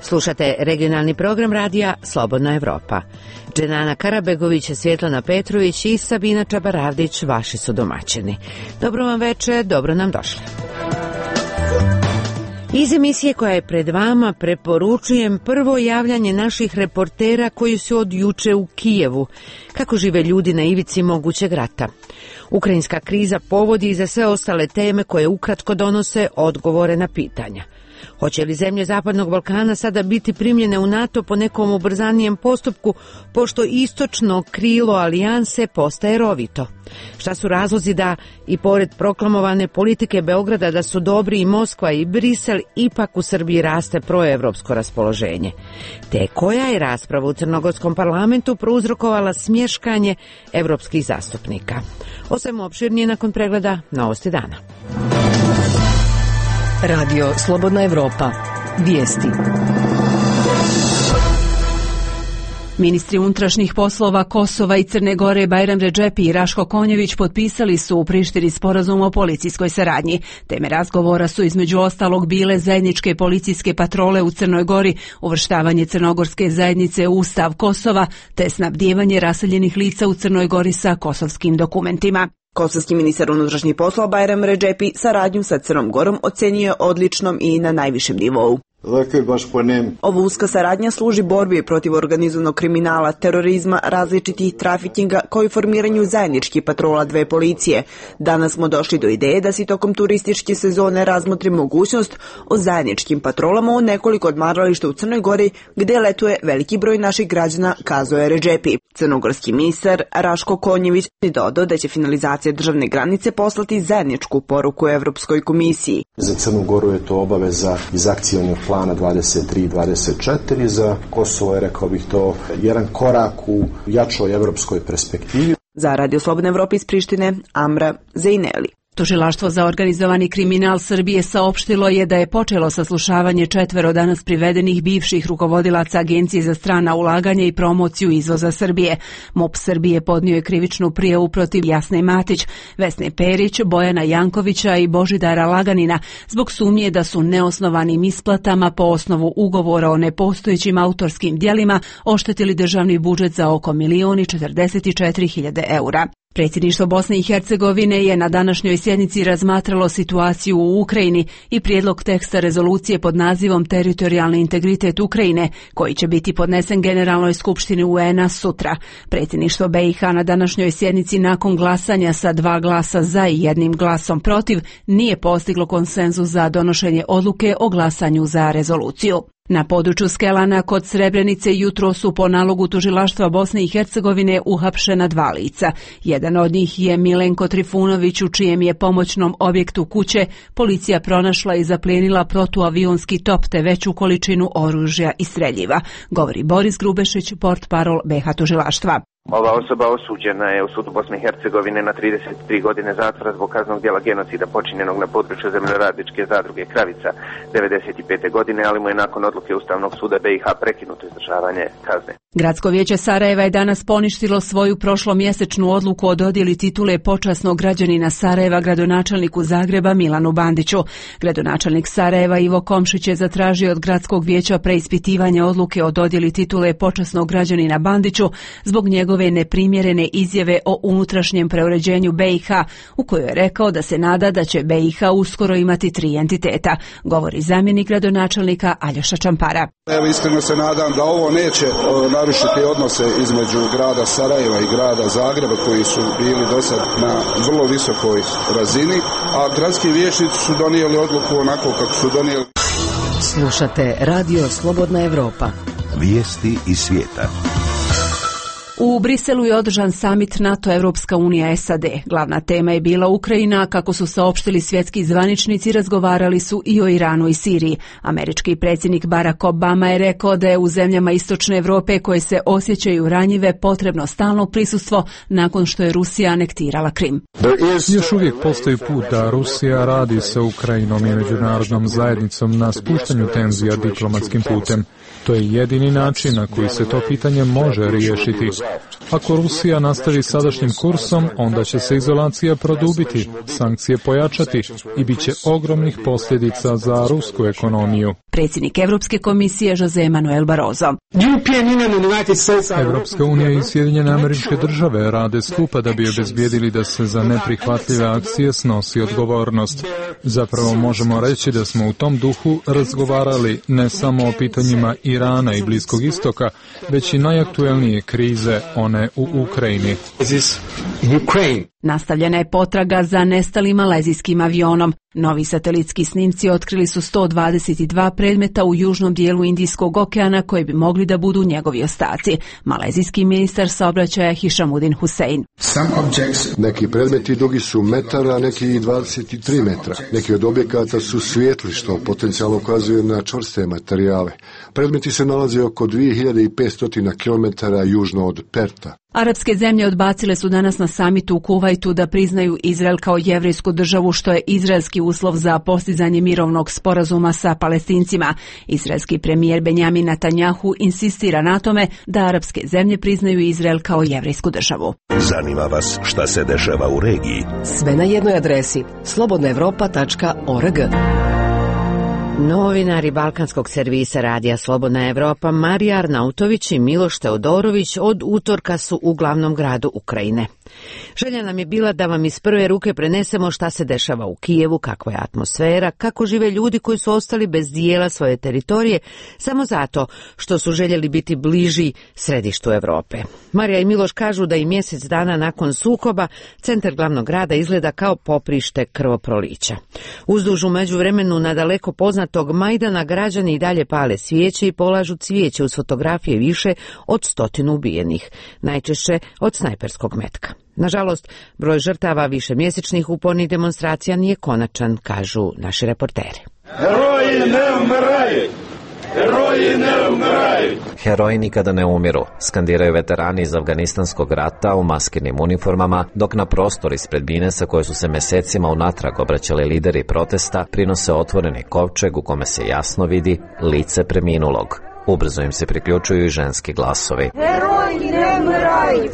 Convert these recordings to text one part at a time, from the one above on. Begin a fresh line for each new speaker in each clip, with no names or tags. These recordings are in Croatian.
Slušate regionalni program radija Slobodna Evropa. Dženana Karabegović, Svjetlana Petrović i Sabina Čabaravdić vaši su domaćini. Dobro vam večer, dobro nam došli. Iz emisije koja je pred vama preporučujem prvo javljanje naših reportera koji su od juče u Kijevu. Kako žive ljudi na ivici mogućeg rata? Ukrajinska kriza povodi i za sve ostale teme koje ukratko donose odgovore na pitanja. Hoće li zemlje Zapadnog Balkana sada biti primljene u NATO po nekom ubrzanijem postupku, pošto istočno krilo alijanse postaje rovito? Šta su razlozi da, i pored proklamovane politike Beograda da su dobri i Moskva i Brisel, ipak u Srbiji raste proevropsko raspoloženje? Te koja je rasprava u crnogorskom parlamentu prouzrokovala smješkanje evropskih zastupnika? O svemu opširnije nakon pregleda Novosti dana.
Radio Slobodna Evropa. Vijesti. Ministri unutrašnjih poslova Kosova i Crne Gore Bajram Redžepi i Raško Konjević potpisali su u Prištini sporazum o policijskoj saradnji. Teme razgovora su između ostalog bile zajedničke policijske patrole u Crnoj Gori, uvrštavanje crnogorske zajednice u Ustav Kosova, te snabdijevanje raseljenih lica u Crnoj Gori sa kosovskim dokumentima.
Kosovski ministar unutrašnjih poslova Bajram Redžepi saradnju sa Crnom Gorom ocenio odličnom i na najvišem nivou. Ova uska saradnja služi borbi protiv organizovanog kriminala, terorizma, različitih trafikinga, kao i formiranju zajedničkih patrola dve policije. Danas smo došli do ideje da se tokom turističke sezone razmotri mogućnost o zajedničkim patrolama u nekoliko odmarališta u Crnoj Gori, gde letuje veliki broj naših građana, kazao je Redžepi. Crnogorski ministar Raško Konjević je dodao da će finalizacija državne granice poslati zajedničku poruku Evropskoj komisiji.
Za Crnu Goru je to obaveza iz akcionog plana 23 i 24, za Kosovo je, rekao bih, to jedan korak u jačoj evropskoj perspektivi.
Za Radio Slobodne Evrope iz Prištine, Amra Zejneli.
Tužilaštvo za organizovani kriminal Srbije saopštilo je da je počelo saslušavanje 4 danas privedenih bivših rukovodilaca Agencije za strana ulaganja i promociju izvoza Srbije. MUP Srbije podnio je krivičnu prijavu protiv Jasne Matić, Vesne Perić, Bojana Jankovića i Božidara Laganina zbog sumnje da su neosnovanim isplatama po osnovu ugovora o nepostojećim autorskim djelima oštetili državni budžet za oko 1.044.000 eura. Predsjedništvo Bosne i Hercegovine je na današnjoj sjednici razmatralo situaciju u Ukrajini i prijedlog teksta rezolucije pod nazivom Teritorijalni integritet Ukrajine, koji će biti podnesen Generalnoj skupštini UN-a sutra. Predsjedništvo BiH na današnjoj sjednici nakon glasanja sa 2 glasa za i 1 glasom protiv nije postiglo konsenzus za donošenje odluke o glasanju za rezoluciju. Na području Skelana kod Srebrenice jutro su po nalogu tužilaštva Bosne i Hercegovine uhapšena 2 lica. Jedan od njih je Milenko Trifunović, u čijem je pomoćnom objektu kuće policija pronašla i zaplijenila protuavionski top te veću količinu oružja i streljiva, govori Boris Grubešić, portparol BiH tužilaštva.
Ova osoba osuđena je u sudu Bosne i Hercegovine na 33 godine zatvora zbog kaznenog djela genocida počinjenog na području zemljoradničke zadruge Kravica 95. godine, ali mu je nakon odluke Ustavnog suda BiH prekinuto izdržavanje kazne.
Gradsko vijeće Sarajeva je danas poništilo svoju prošlomjesečnu odluku o dodjeli titule počasnog građanina Sarajeva gradonačelniku Zagreba Milanu Bandiću. Gradonačelnik Sarajeva Ivo Komšić je zatražio od Gradskog vijeća preispitivanje odluke o dodjeli titule počasnog građanina Bandiću zbog njegove neprimjerene izjave o unutrašnjem preuređenju BiH, u kojoj je rekao da se nada da će BiH uskoro imati 3 entiteta, govori zamjenik gradonačelnika Aljoša Čampara.
Evo, iskreno se nadam da ovo neće narušiti odnose između grada Sarajeva i grada Zagreba, koji su bili do sad na vrlo visokoj razini, a gradski vijećnici su donijeli odluku onako kako su donijeli.
Slušate Radio Slobodna Evropa.
Vijesti iz svijeta.
U Briselu je održan samit NATO-Evropska unija SAD. Glavna tema je bila Ukrajina, kako su saopštili svjetski zvaničnici, razgovarali su i o Iranu i Siriji. Američki predsjednik Barack Obama je rekao da je u zemljama Istočne Europe koje se osjećaju ranjive potrebno stalno prisustvo nakon što je Rusija anektirala Krim.
Još uvijek postoji put da Rusija radi sa Ukrajinom i međunarodnom zajednicom na spuštanju tenzija diplomatskim putem. To je jedini način na koji se to pitanje može riješiti. Ako Rusija nastavi sadašnjim kursom, onda će se izolacija produbiti, sankcije pojačati i bit će ogromnih posljedica za rusku ekonomiju.
predsjednik Evropske komisije José Manuel Barroso.
Evropska unija i Sjedinjene Američke Države rade skupa da bi obezbijedili da se za neprihvatljive akcije snosi odgovornost. Zapravo možemo reći da smo u tom duhu razgovarali ne samo o pitanjima Irana i Bliskog istoka, već i najaktuelnije krize, one u Ukrajini.
Nastavljena je potraga za nestalim malezijskim avionom. Novi satelitski snimci otkrili su 122 predmeta u južnom dijelu Indijskog okeana koji bi mogli da budu njegovi ostaci. Malezijski ministar saobraćaja Hishamuddin Hussein.
Neki predmeti dugi su metara, a neki 23 metra. Neki od objekata su svijetli, što potencijalno ukazuje na čvrste materijale. Predmeti se nalaze oko 2500 km južno od Perta.
Arapske zemlje odbacile su danas na samitu u Kuvajtu da priznaju Izrael kao jevrejsku državu, što je izraelski uslov za postizanje mirovnog sporazuma sa Palestincima. Izraelski premijer Benjamin Netanjahu insistira na tome da arapske zemlje priznaju Izrael kao jevrejsku državu.
Zanima vas šta se dešava u regiji?
Sve na jednoj adresi slobodnaevropa.org.
Novinari balkanskog servisa Radija Slobodna Evropa Marija Arnautović i Miloš Teodorović od utorka su u glavnom gradu Ukrajine. Želja nam je bila da vam iz prve ruke prenesemo šta se dešava u Kijevu, kakva je atmosfera, kako žive ljudi koji su ostali bez dijela svoje teritorije samo zato što su željeli biti bliži središtu Evrope. Marija i Miloš kažu da i mjesec dana nakon sukoba centar glavnog grada izgleda kao poprište krvoprolića. Uzduž u međuvremenu na daleko poznatog Majdana građani i dalje pale svijeće i polažu cvijeće uz fotografije više od 100 ubijenih, najčešće od snajperskog metka. Nažalost, broj žrtava višemjesečnih upornih demonstracija nije konačan, kažu naši reporteri.
Heroji ne umiraju! Heroji ne umiraju!
Heroji nikada ne umiru, skandiraju veterani iz Afganistanskog rata u maskirnim uniformama, dok na prostor ispred Binesa koje su se mesecima unatrag obraćali lideri protesta prinose otvoreni kovčeg u kome se jasno vidi lice preminulog. Ubrzo im se priključuju i ženski glasovi.
Heroji ne umiraju!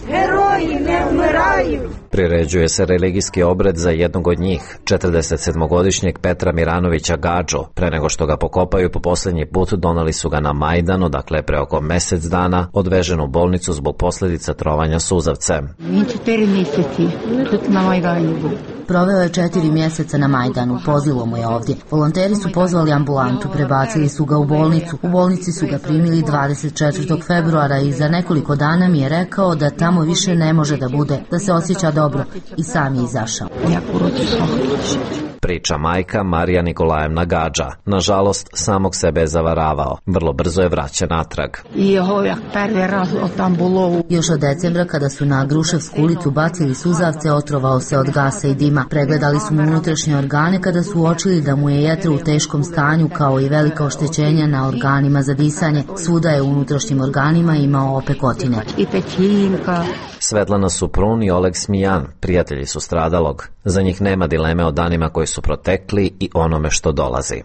Heroji ne umiraju!
Priređuje se religijski obred za jednog od njih, 47-godišnjeg Petra Miranovića Gadžo. Pre nego što ga pokopaju po posljednji put, donali su ga na Majdan, odakle pre oko mjesec dana odvežen u bolnicu zbog posljedica trovanja suzavcem.
4 mjeseci na Majdanu.
Proveo je 4 mjeseca na Majdanu, pozilo mu je ovdje. Volonteri su pozvali ambulantu, prebacili su ga u bolnicu. U bolnici su ga primili 24. februara i za nekoliko dana mi je rekao da tamo više ne može da bude, da se osjeća dobro i sam je izašao.
Priča majka Marija Nikolajevna Gadža. Nažalost, samog sebe je zavaravao. Vrlo brzo je vraćen natrag.
Još od decembra, kada su na Gruševsku ulicu bacili suzavce, otrovao se od gasa i dima. Pregledali su mu unutrašnje organe kada su uočili da mu je jetra u teškom stanju, kao i velika oštećenja na organima za disanje. Svuda je u unutrašnjim organima imao opekotine.
Svetlana Suprun i Oleg Smijan, prijatelji su stradalog. Za njih nema dileme o danima koji su protekli i onome što dolazi.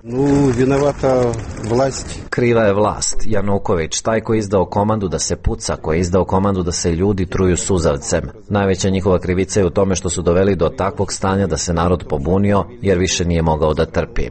Kriva je vlast. Januković, taj koji je izdao komandu da se puca, koji je izdao komandu da se ljudi truju suzavcem. Najveća njihova krivica je u tome što su doveli do takvog stanja da se narod pobunio, jer više nije mogao da trpi.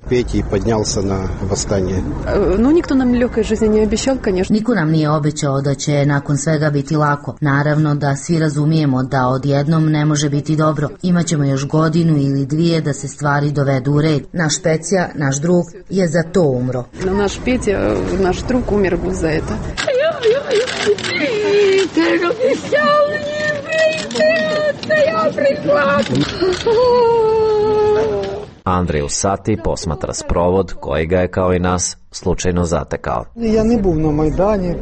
Niko nam nije obećao da će nakon svega biti lako. Naravno da svi razumijemo da odjednom ne može biti dobro. Imaćemo još godinu ili dvije da se stvari dovedu u red. Naš Pecija, naš drug, je za to umro.
Naš Pecija, naš drug umir za to.
Andrej Usati posmatra sprovod koji ga je kao i nas slučajno zatekao.
Ja ne bum na Majdani,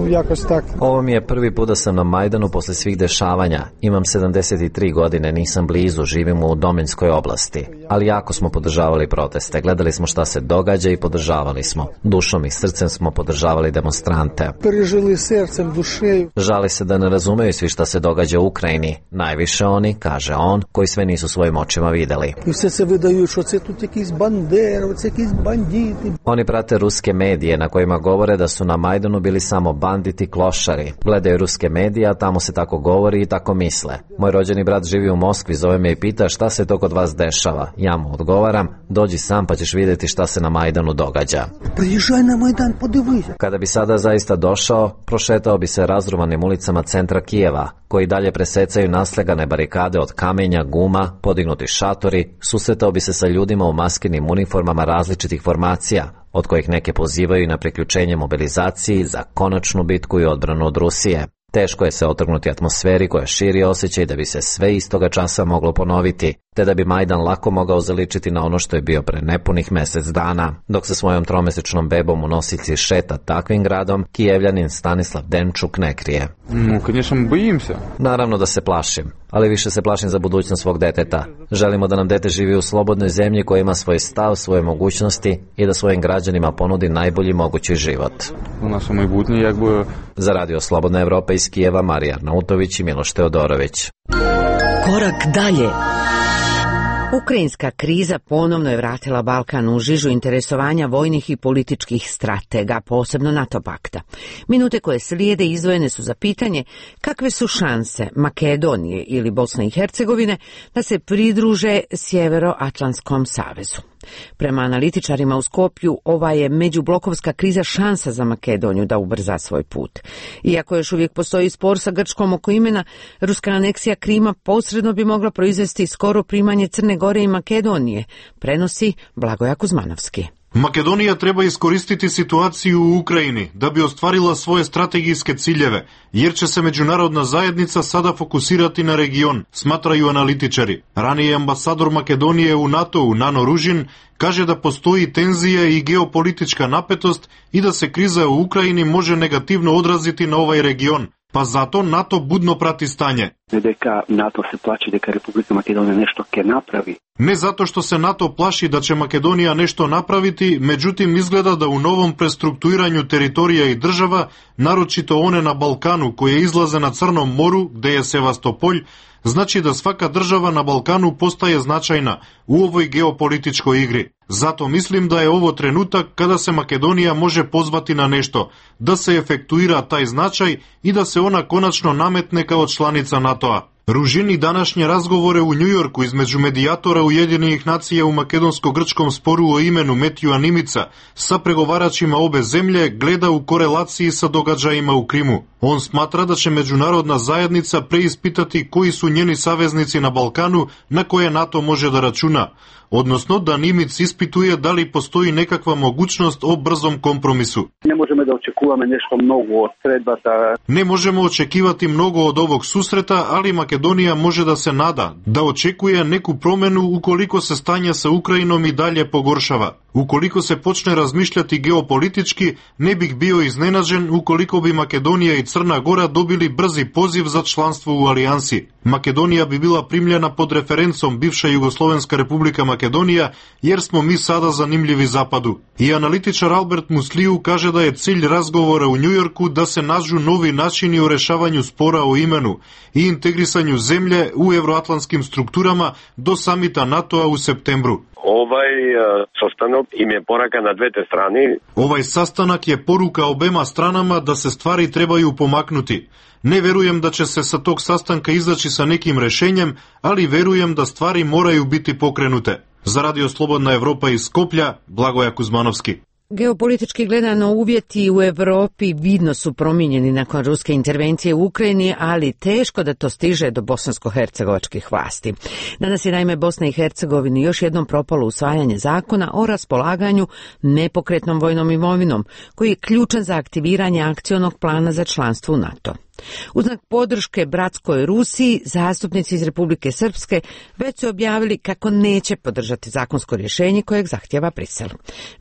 jakoś tak.
Ovo mi je prvi put da sam na Majdanu posle svih dešavanja. Imam 73 godine, nisam blizu, živim u Dominskoj oblasti. Ali jako smo podržavali proteste, gledali smo šta se događa i podržavali smo. Dušom i srcem smo podržavali demonstrante.
Prežili srcem, dušeju.
Žali se da ne razumeju svi šta se događa u Ukrajini. Najviše oni, kaže on, koji sve nisu svojim očima videli.
I sve se vydaju, što se tu jakieś banderovci, jakieś banditi.
Oni prate ruske medije na kojima govore da su na Majdanu bili samo banditi klošari. Gledaju ruske medije, a tamo se tako govori i tako misle. Moj rođeni brat živi u Moskvi, zove me i pita šta se to kod vas dešava. Ja mu odgovaram, dođi sam pa ćeš vidjeti šta se na Majdanu događa.
Priježaj na Majdan, podivujte.
Kada bi sada zaista došao, prošetao bi se razruvanim ulicama centra Kijeva, koji dalje presecaju naslegane barikade od kamenja, guma, podignuti šatori, susretao bi se sa ljudima u maskenim uniformama različitih formacija, od kojih neke pozivaju na priključenje mobilizaciji za konačnu bitku i odbranu od Rusije. Teško je se otrgnuti atmosferi koja širi osjećaj da bi se sve istoga časa moglo ponoviti, te da bi Majdan lako mogao zaličiti na ono što je bio pre nepunih mjesec dana. Dok sa svojom tromesečnom bebom u nosiljci šeta takvim gradom, Kijevljanin Stanislav Denčuk ne krije. Naravno da se plašim, ali više se plašim za budućnost svog deteta. Želimo da nam dete živi u slobodnoj zemlji koja ima svoj stav, svoje mogućnosti i da svojim građanima ponudi najbolji mogući život. Za Radio Slobodna Evropa iz Kijeva, Marija Arnautović i Miloš Teodorović.
Korak dalje.
Ukrajinska kriza ponovno je vratila Balkan u žižu interesovanja vojnih i političkih stratega, posebno NATO pakta. Minute koje slijede izdvojene su za pitanje kakve su šanse Makedonije ili Bosne i Hercegovine da se pridruže Sjeveroatlantskom savezu. Prema analitičarima u Skopju, ova je međublokovska kriza šansa za Makedoniju da ubrza svoj put. Iako još uvijek postoji spor sa Grčkom oko imena, ruska aneksija Krima posredno bi mogla proizvesti skoro primanje Crne Gore i Makedonije, prenosi Blagoja Kuzmanovski.
Makedonija treba iskoristiti situaciju u Ukrajini da bi ostvarila svoje strategijske ciljeve, jer će se međunarodna zajednica sada fokusirati na region, smatraju analitičari. Ranije ambasador Makedonije u NATO-u Nano Ružin kaže da postoji tenzija i geopolitička napetost i da se kriza u Ukrajini može negativno odraziti na ovaj region. Pa zato NATO budno prati stanje.
NATO se plaši da Republika Makedonija nešto ke napravi.
Ne zato što se NATO plaši da će Makedonija nešto napraviti, međutim izgleda da u novom prestrukturiranju teritorija i država, naročito one na Balkanu koje izlaze na Crnom moru, gde je Sevastopolj, znači da svaka država na Balkanu postaje značajna u ovoj geopolitičkoj igri. Zato mislim da je ovo trenutak kada se Makedonija može pozvati na nešto, da se efektuira taj značaj i da se ona konačno nametne kao članica NATO-a. Ružini današnje razgovore u Njujorku između medijatora Ujedinjenih nacija u makedonsko-grčkom sporu o imenu Metiju Animica sa pregovaračima obe zemlje gleda u korelaciji sa događajima u Krimu. On smatra da će međunarodna zajednica preispitati koji su njeni saveznici na Balkanu na koje NATO može da računa, odnosno da Nimic ispituje da li postoji nekakva mogućnost o brzom kompromisu.
Ne možemo da očekujemo nešto mnogo od sredbata.
Ne možemo očekivati mnogo od ovog susreta, ali Makedonija može da se nada, da očekuje neku promenu ukoliko se stanje sa Ukrajinom i dalje pogoršava. Ukoliko se počne razmišljati geopolitički, ne bih bio iznenađen ukoliko bi Makedonija i Crna Gora dobili brzi poziv za članstvo u alijansi. Makedonija bi bila primljena pod referencom bivša Jugoslovenska republika Makedonija, jer smo mi sada zanimljivi zapadu. I analitičar Albert Musliju kaže da je cilj razgovora u Njujorku da se nađu novi načini u rešavanju spora o imenu i integrisanju zemlje u evroatlantskim strukturama do samita NATO-a u septembru.
Sastanak im je poruka na dvete strani.
Ovaj sastanak je poruka obema stranama da se stvari trebaju pomaknuti. Ne verujem da će se sa tog sastanka izaći sa nekim rešenjem, ali verujem da stvari moraju biti pokrenute. Za Radio Slobodna Evropa iz Skoplja, Blagoja Kuzmanovski.
Geopolitički gledano uvjeti u Europi vidno su promijenjeni nakon ruske intervencije u Ukrajini, ali teško da to stiže do bosansko-hercegovačkih vlasti. Danas je naime Bosna i Hercegovini još jednom propalo usvajanje zakona o raspolaganju nepokretnom vojnom imovinom, koji je ključan za aktiviranje akcionog plana za članstvo u NATO. U znak podrške bratskoj Rusiji, zastupnici iz Republike Srpske već su objavili kako neće podržati zakonsko rješenje kojeg zahtjeva Brisel.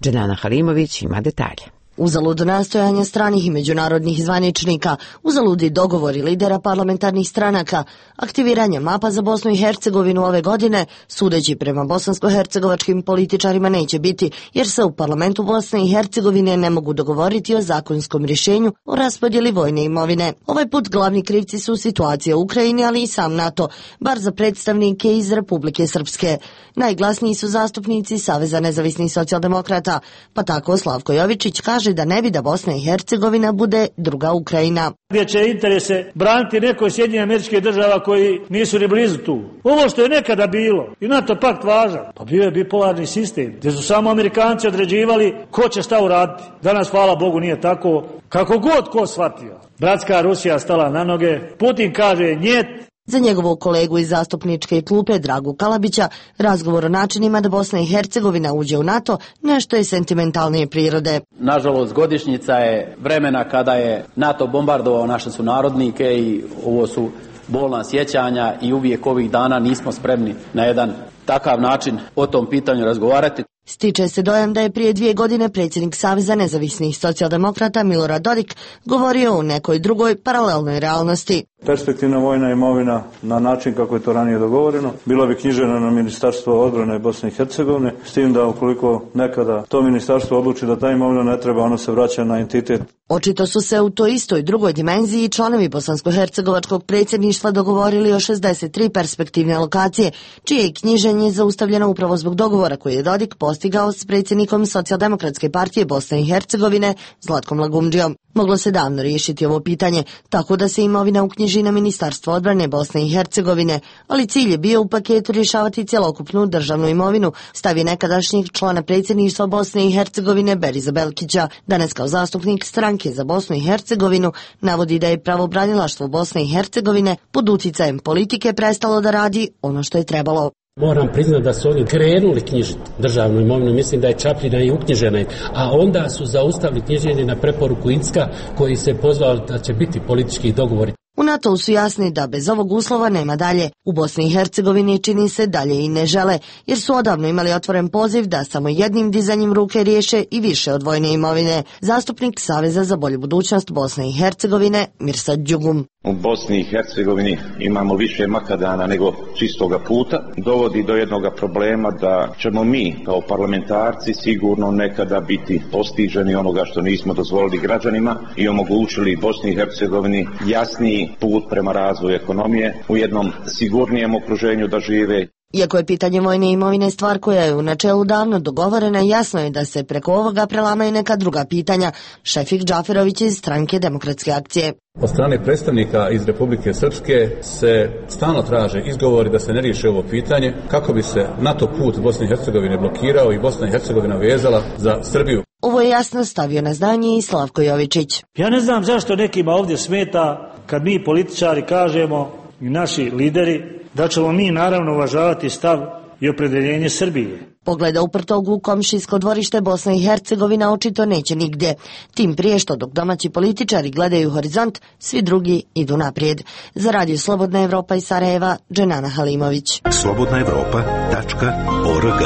Dženana Halimović ima detalje.
Uzalud nastojanja stranih i međunarodnih zvaničnika, uzaludi dogovori lidera parlamentarnih stranaka, aktiviranje mapa za Bosnu i Hercegovinu ove godine, sudeći prema bosansko-hercegovačkim političarima, neće biti, jer se u parlamentu Bosne i Hercegovine ne mogu dogovoriti o zakonskom rješenju o raspodjeli vojne imovine. Ovaj put glavni krivci su situacija u Ukrajini, ali i sam NATO, bar za predstavnike iz Republike Srpske. Najglasniji su zastupnici Saveza nezavisnih socijaldemokrata, pa tako Slavko Jovičić kaže da ne bi da Bosna i Hercegovina bude druga Ukrajina.
Gdje će interese braniti neko iz Sjedinjenih Američkih Država koji nisu ni blizu tu. Ovo što je nekada bilo i NATO pakt važan, pa bio je bipolarni sistem, gdje su samo Amerikanci određivali ko će šta uraditi. Danas, hvala Bogu, nije tako. Kako god ko shvatio. Bratska Rusija stala na noge, Putin kaže njet.
Za njegovog kolegu iz zastupničke klupe Dragu Kalabića, razgovor o načinima da Bosna i Hercegovina uđe u NATO nešto je sentimentalnije prirode.
Nažalost, godišnjica je vremena kada je NATO bombardovao naše sunarodnike i ovo su bolna sjećanja i uvijek ovih dana nismo spremni na jedan takav način o tom pitanju razgovarati.
Stiče se dojam da je prije 2 godine predsjednik Saveza nezavisnih socijaldemokrata Milorad Dodik govorio o nekoj drugoj paralelnoj realnosti.
Perspektivna vojna imovina na način kako je to ranije dogovoreno bila bi knjižena na Ministarstvo odbrane Bosne i Hercegovine, s tim da ukoliko nekada to ministarstvo odluči da ta imovina ne treba, ono se vraća na entitet.
Očito su se u toj istoj drugoj dimenziji članovi bosansko-hercegovačkog predsjedništva dogovorili o 63 perspektivne lokacije, čije je knjiženje zaustavljeno upravo zbog dogovora koji je Dodik postigao s predsjednikom Socijaldemokratske partije Bosne i Hercegovine Zlatkom Lagumdžijom. Moglo se davno riješiti ovo pitanje, tako da se imovina uknjiži na Ministarstvo odbrane Bosne i Hercegovine, ali cilj je bio u paketu rješavati cjelokupnu državnu imovinu, stavi nekadašnjeg člana predsjedništva Bosne i Hercegovine Beriza Belkića. Danas kao zastupnik stranke za Bosnu i Hercegovinu navodi da je pravobranilaštvo Bosne i Hercegovine pod utjecajem politike prestalo da radi ono što je trebalo.
Moram priznati da su oni krenuli knjižiti državnu imovinu, mislim da je Čapljina i uknjižena, a onda su zaustavili knjiženje na preporuku Incka koji se pozvao da će biti politički dogovori.
U NATO su jasni da bez ovog uslova nema dalje. U Bosni i Hercegovini čini se dalje i ne žele, jer su odavno imali otvoren poziv da samo jednim dizanjem ruke riješe i više od vojne imovine. Zastupnik Saveza za bolju budućnost Bosne i Hercegovine Mirsad Đugum.
U Bosni i Hercegovini imamo više makadana nego čistoga puta. Dovodi do jednog problema da ćemo mi kao parlamentarci sigurno nekada biti postiženi onoga što nismo dozvolili građanima i omogućili Bosni i Hercegovini jasniji put prema razvoju ekonomije u jednom sigurnijem okruženju da žive.
Iako je pitanje vojne imovine stvar koja je u načelu davno dogovorena, jasno je da se preko ovoga prelamaju neka druga pitanja. Šefik Džaferović iz stranke Demokratske akcije.
Od strane predstavnika iz Republike Srpske se stalno traže izgovori da se ne riješi ovo pitanje kako bi se NATO put Bosne i Hercegovine blokirao i Bosna i Hercegovina vezala za Srbiju.
Ovo je jasno stavio na znanje i Slavko Jovičić.
Ja ne znam zašto nekima ovdje smeta kad mi političari kažemo i naši lideri da ćemo mi naravno uvažavati stav i opredjeljenje Srbije.
Pogleda uprtog u komšijsko dvorište Bosna i Hercegovina očito neće nigdje. Tim prije što dok domaći političari gledaju horizont, svi drugi idu naprijed. Za Radio Slobodna Evropa iz Sarajeva, Dženana Halimović.
slobodnaevropa.org.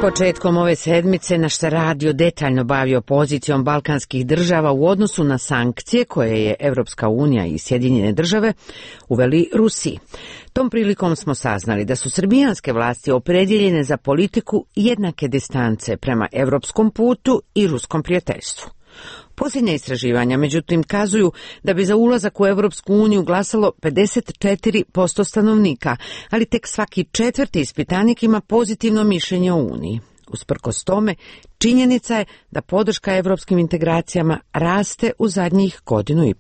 Početkom ove sedmice naš se radio detaljno bavio pozicijom balkanskih država u odnosu na sankcije koje je Evropska unija i Sjedinjene države uveli Rusiji. Tom prilikom smo saznali da su srbijanske vlasti opredjeljene za politiku jednake distance prema evropskom putu i ruskom prijateljstvu. Posljednja istraživanja, međutim, kazuju da bi za ulazak u Evropsku uniju glasalo 54% stanovnika, ali tek svaki 4. ispitanik ima pozitivno mišljenje o Uniji. Usprkos tome, činjenica je da podrška evropskim integracijama raste u zadnjih 1,5 godinu.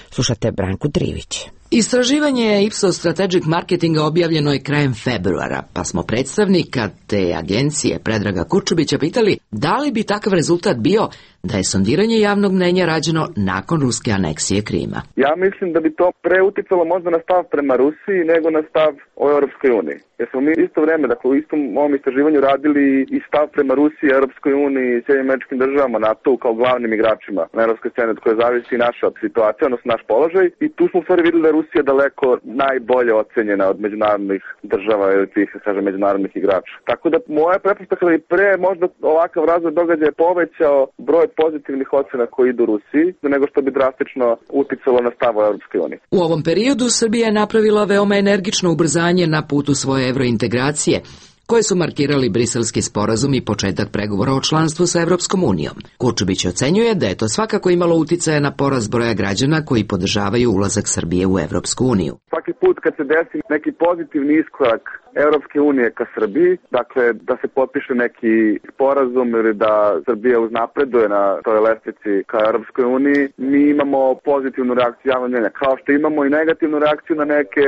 Slušate Branku Drivić.
Istraživanje Ipsos Strategic Marketinga objavljeno je krajem februara, pa smo predstavnika te agencije Predraga Kurčubića pitali da li bi takav rezultat bio da je sondiranje javnog mnenja rađeno nakon ruske aneksije Krima.
Ja mislim da bi to preuticalo možda na stav prema Rusiji nego na stav o Europskoj uniji. Jer smo mi isto vrijeme, dakle u istom ovom istraživanju radili i stav prema Rusiji, Europskoj uniji i Sjedinjenim Američkim Državama, NATO kao glavnim igračima na europskoj sceni od koje zavisi naša situacija, odnosno naš položaj. I tu smo u stvari vidjeli da Rusija daleko najbolje ocenjena od međunarodnih država ili tih, kažem, međunarodnih igrača. Tako da moja pretpostavka da i pre možda ovakav razvoj događaja je povećao broj pozitivnih ocena koji idu Rusiji, nego što bi drastično uticalo na stav u Europskoj uniji.
U ovom periodu Srbija je napravila veoma energično ubrzanje na putu svoje evrointegracije, koje su markirali Briselski sporazum i početak pregovora o članstvu sa Evropskom unijom. Kurčubić ocenjuje da je to svakako imalo uticaja na porast broja građana koji podržavaju ulazak Srbije u Evropsku uniju.
Svaki put kad se desi neki pozitivni iskorak Evropske unije ka Srbiji, dakle da se potpiše neki sporazum ili da Srbija uznapreduje na toj lestvici ka Evropskoj uniji, mi imamo pozitivnu reakciju javnog mnjenja, kao što imamo i negativnu reakciju na neke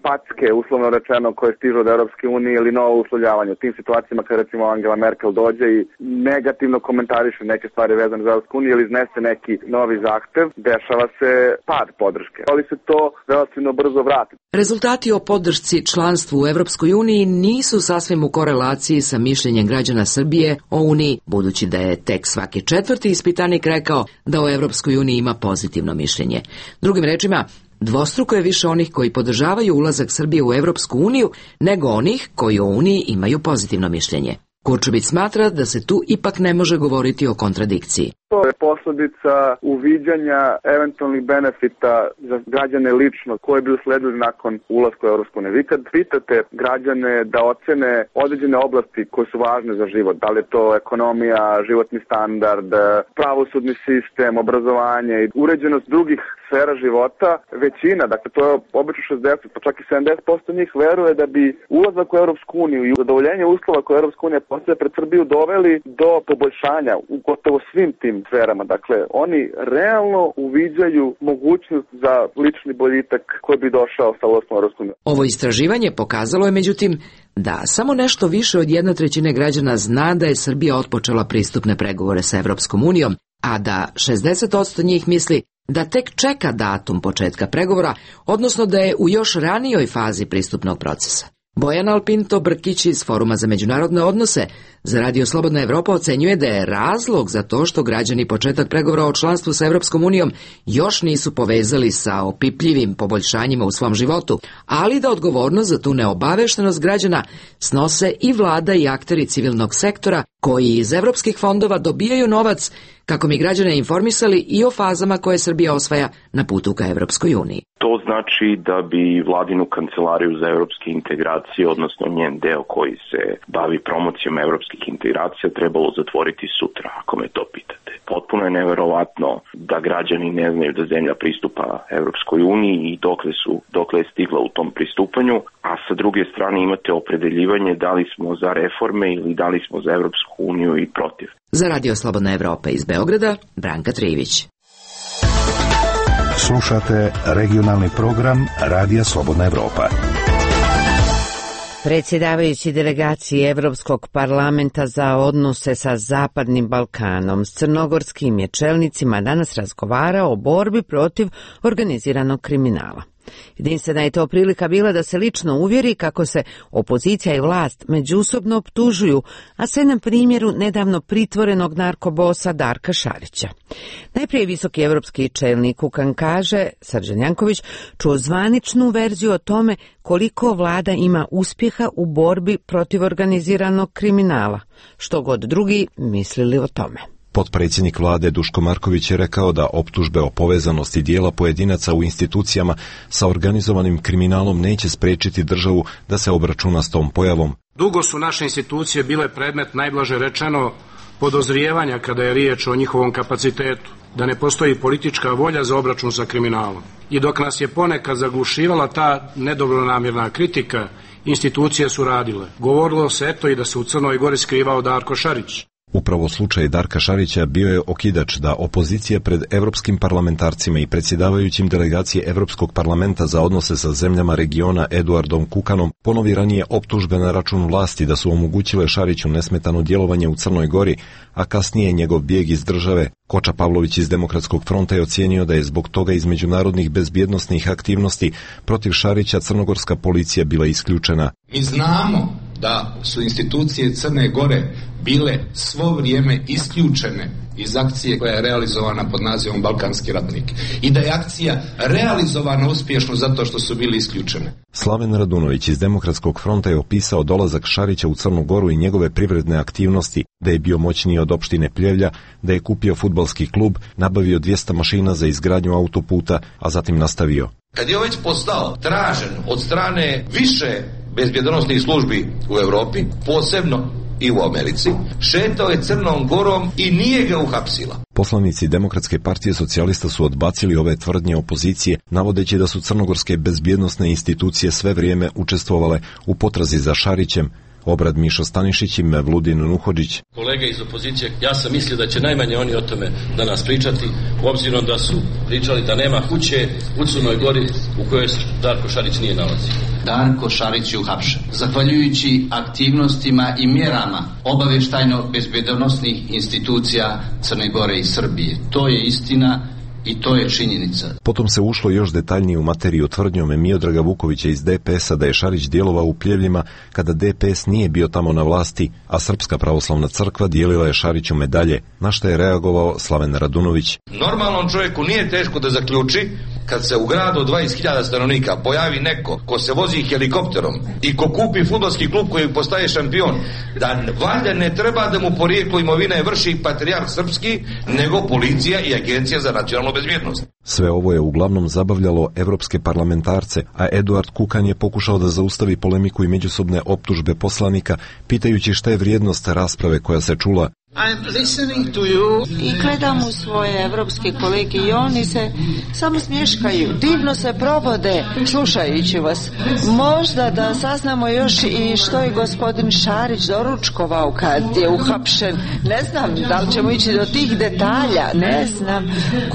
packe, uslovno rečeno, koje stižu od Evropske unije ili novo uslovljavanje. U tim situacijama kad recimo Angela Merkel dođe i negativno komentariše neke stvari vezane za Evropsku uniju ili iznese neki novi zahtev, dešava se pad podrške, ali se to relativno brzo vrati.
Rezultati o podršci članstvu u Evropskoj uniji nisu sasvim u korelaciji sa mišljenjem građana Srbije o Uniji, budući da je tek svaki četvrti ispitanik rekao da o Evropskoj uniji ima pozitivno mišljenje. Drugim rečima, dvostruko je više onih koji podržavaju ulazak Srbije u Evropsku uniju nego onih koji o Uniji imaju pozitivno mišljenje. Kurčubić smatra da se tu ipak ne može govoriti o kontradikciji.
To je posljedica uviđanja eventualnih benefita za građane lično koje bi usledili nakon ulaska u Evropsku uniju. Vi kad pitate građane da ocene određene oblasti koje su važne za život, da li je to ekonomija, životni standard, pravosudni sistem, obrazovanje i uređenost drugih sfera života, većina, dakle to je obično 60, pa čak i 70% njih veruje da bi ulazak u Evropsku uniju i zadovoljenje uslova koje Evropska unija postavlja pred Srbiju doveli do poboljšanja u gotovo svim tim sferama. Dakle, oni realno uviđaju mogućnost za lični boljitak koji bi došao sa ulaskom u Evropsku uniju.
Ovo istraživanje pokazalo je, međutim, da samo nešto više od 1/3 građana zna da je Srbija otpočela pristupne pregovore sa Evropskom unijom, a da 60% njih misli da tek čeka datum početka pregovora, odnosno da je u još ranijoj fazi pristupnog procesa. Bojan Alpinto Brkić iz Foruma za međunarodne odnose za Radio Slobodna Evropa ocenjuje da je razlog za to što građani početak pregovora o članstvu sa Evropskom unijom još nisu povezali sa opipljivim poboljšanjima u svom životu, ali da odgovornost za tu neobaveštenost građana snose i vlada i akteri civilnog sektora koji iz evropskih fondova dobijaju novac kako bi građane informisali i o fazama koje Srbija osvaja na putu ka Evropskoj uniji.
To znači da bi vladinu kancelariju za evropske integracije, odnosno njen deo koji se bavi promocijom evropskih integracija, trebalo zatvoriti sutra, ako me to pitate. Potpuno je neverovatno da građani ne znaju da zemlja pristupa Evropskoj uniji i dokle je stigla u tom pristupanju, a sa druge strane imate opredeljivanje da li smo za reforme ili da li smo za Evropsku uniju i protiv.
Za Radio Slobodna Evropa iz Beograda, Branka Trivić.
Slušate regionalni program Radija Slobodna Evropa.
Predsjedavajući delegaciji Evropskog parlamenta za odnose sa Zapadnim Balkanom s crnogorskim je čelnicima danas razgovarao o borbi protiv organiziranog kriminala. Jedinstvena je to prilika bila da se lično uvjeri kako se opozicija i vlast međusobno optužuju, a sve na primjeru nedavno pritvorenog narkobosa Darka Šarića. Najprije visoki evropski čelnik Kukan kaže, Srđan Janković, čuo zvaničnu verziju o tome koliko vlada ima uspjeha u borbi protiv organiziranog kriminala, što god drugi mislili o tome.
Potpredsjednik vlade Duško Marković je rekao da optužbe o povezanosti dijela pojedinaca u institucijama sa organizovanim kriminalom neće spriječiti državu da se obračuna s tom pojavom.
Dugo su naše institucije bile predmet, najblaže rečeno, podozrijevanja kada je riječ o njihovom kapacitetu, da ne postoji politička volja za obračun sa kriminalom. I dok nas je ponekad zaglušivala ta nedobronamjerna kritika, institucije su radile. Govorilo se eto i da se u Crnoj Gori skrivao Darko Šarić.
Upravo slučaj Darka Šarića bio je okidač da opozicija pred evropskim parlamentarcima i predsjedavajućim delegacije Evropskog parlamenta za odnose sa zemljama regiona Eduardom Kukanom ponovi ranije optužbe na račun vlasti da su omogućile Šariću nesmetano djelovanje u Crnoj Gori, a kasnije njegov bijeg iz države. Koča Pavlović iz Demokratskog fronta je ocijenio da je zbog toga iz međunarodnih bezbjednosnih aktivnosti protiv Šarića crnogorska policija bila isključena.
Mi znamo da su institucije Crne Gore bile svo vrijeme isključene
iz akcije koja je realizovana pod nazivom Balkanski ratnik i da je akcija realizovana uspješno zato što su bili isključene.
Slaven Radunović iz Demokratskog fronta je opisao dolazak Šarića u Crnu Goru i njegove privredne aktivnosti, da je bio moćniji od opštine Pljevlja, da je kupio fudbalski klub, nabavio 200 mašina za izgradnju autoputa, a zatim nastavio.
Kad je već postao tražen od strane više bezbjednosnih službi u Europi, posebno i u Americi, šetao je Crnom Gorom i nije ga uhapsila.
Poslanici Demokratske partije socijalista su odbacili ove tvrdnje opozicije, navodeći da su crnogorske bezbjednosne institucije sve vrijeme učestvovale u potrazi za Šarićem. Obrad Mišo Stanišić i Mevludin Nuhodžić.
Kolege iz opozicije, ja sam mislio da će najmanje oni o tome danas pričati, obzirom da su pričali da nema kuće u Crnoj Gori u kojoj Darko Šarić nije nalazio.
Darko Šarić je uhapšen. Zahvaljujući aktivnostima i mjerama obavještajno-bezbjednosnih institucija Crne Gore i Srbije. To je istina i to je činjenica.
Potom se ušlo još detaljnije u materiju tvrdnjom Miodraga Vukovića iz DPS-a da je Šarić djelovao u Pljevljima kada DPS nije bio tamo na vlasti, a Srpska pravoslavna crkva dijelila je Šariću medalje, na što je reagovao Slaven Radunović.
Normalnom čovjeku nije teško da zaključi kad se u gradu od 20.000 stanovnika pojavi neko ko se vozi helikopterom i ko kupi fudbalski klub koji postaje šampion, da valjda ne treba da mu porijeklo imovine vrši patrijarh srpski, nego policija i agencija za nacionalnu bezbjednost.
Sve ovo je uglavnom zabavljalo evropske parlamentarce, a Eduard Kukan je pokušao da zaustavi polemiku i međusobne optužbe poslanika, pitajući šta je vrijednost rasprave koja se čula.
I gledam u svoje evropske kolege i oni se samo smješkaju, divno se provode slušajući vas. Možda da saznamo još i što je gospodin Šarić doručkovao kad je uhapšen. Ne znam da li ćemo ići do tih detalja, ne znam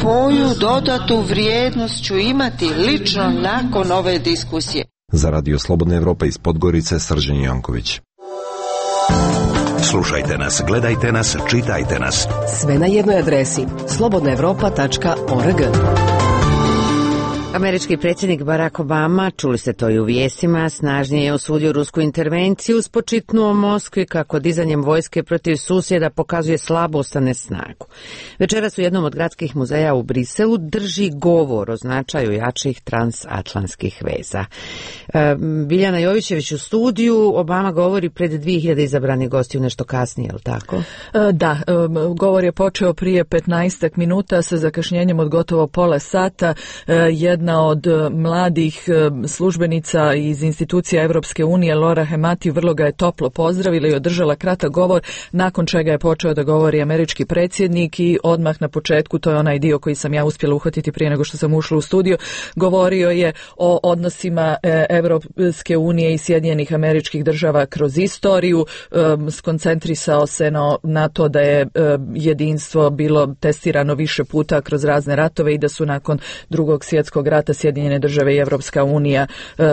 koju dodatu vrijednost ću imati lično nakon ove diskusije.
Za Radio Slobodna Evropa iz Podgorice, Srđan Janković.
Slušajte nas, gledajte nas, čitajte nas.
Sve na jednoj adresi slobodnaevropa.org.
Američki predsjednik Barack Obama, čuli ste to i u vijestima, snažnije je osudio rusku intervenciju, spočitnuo Moskvi kako dizanjem vojske protiv susjeda pokazuje slabost, a ne snagu. Večeras u jednom od gradskih muzeja u Briselu drži govor o značaju jačih transatlantskih veza. Biljana Jovićević u studiju, Obama govori pred 2000 izabranih gostiju nešto kasnije, je li tako?
Da, govor je počeo prije 15 minuta sa zakašnjenjem od gotovo pola sata. Jedna od mladih službenica iz institucija Europske unije, Laura Hemati, vrlo ga je toplo pozdravila i održala kratak govor, nakon čega je počeo da govori američki predsjednik i odmah na početku, to je onaj dio koji sam ja uspjela uhvatiti prije nego što sam ušla u studio, govorio je o odnosima Europske unije i Sjedinjenih Američkih Država kroz istoriju, skoncentrisao se na to da je jedinstvo bilo testirano više puta kroz razne ratove i da su nakon Drugog svjetskog rata Sjedinjene Države i Evropska unija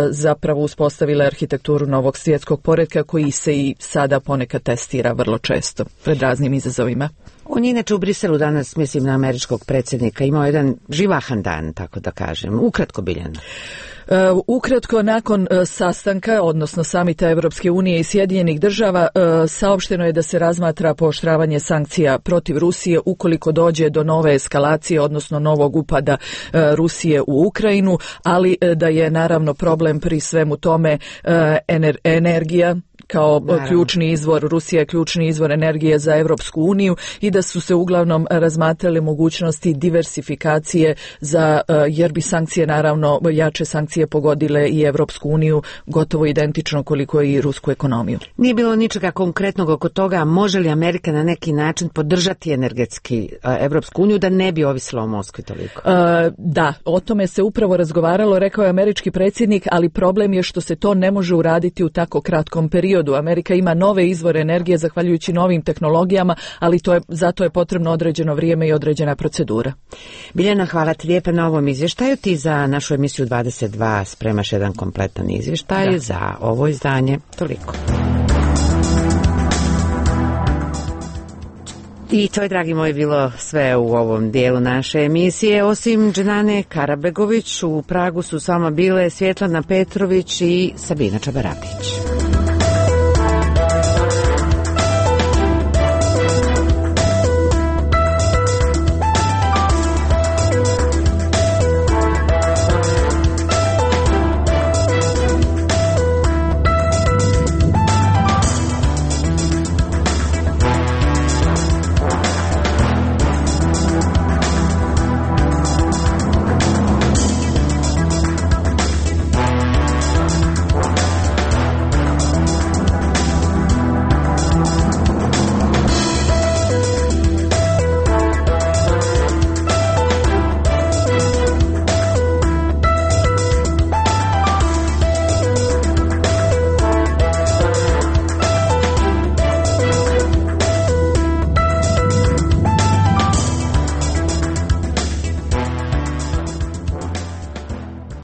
zapravo uspostavile arhitekturu novog svjetskog poretka koji se i sada ponekad testira vrlo često pred raznim izazovima.
On je inače u Briselu danas, mislim na američkog predsjednika, imao jedan živahan dan, tako da kažem. Ukratko, Biljana.
Ukratko, nakon sastanka, odnosno samita Evropske unije i Sjedinjenih Država, saopšteno je da se razmatra pooštravanje sankcija protiv Rusije ukoliko dođe do nove eskalacije, odnosno novog upada Rusije u Ukrajinu, ali da je naravno problem pri svemu tome energija, kao ključni izvor, Rusija je ključni izvor energije za Evropsku uniju i da su se uglavnom razmatrale mogućnosti diversifikacije jer bi sankcije, naravno, jače sankcije pogodile i Evropsku uniju gotovo identično koliko i rusku ekonomiju.
Nije bilo ničega konkretnog oko toga, može li Amerika na neki način podržati energetski Evropsku uniju da ne bi ovisila o Moskvi toliko?
Da, o tome se upravo razgovaralo, rekao je američki predsjednik, ali problem je što se to ne može uraditi u tako kratkom periodu. Amerika ima nove izvore energije zahvaljujući novim tehnologijama, ali zato je potrebno određeno vrijeme i određena procedura.
Biljana, hvala ti lijepa na ovom izvještaju. Ti za našu emisiju 22 spremaš jedan kompletan izvještaj za ovo izdanje. Toliko. I to je, dragi moji, bilo sve u ovom dijelu naše emisije. Osim Dženane Karabegović, u Pragu su sama bile Svjetlana Petrović i Sabina Čabarapić.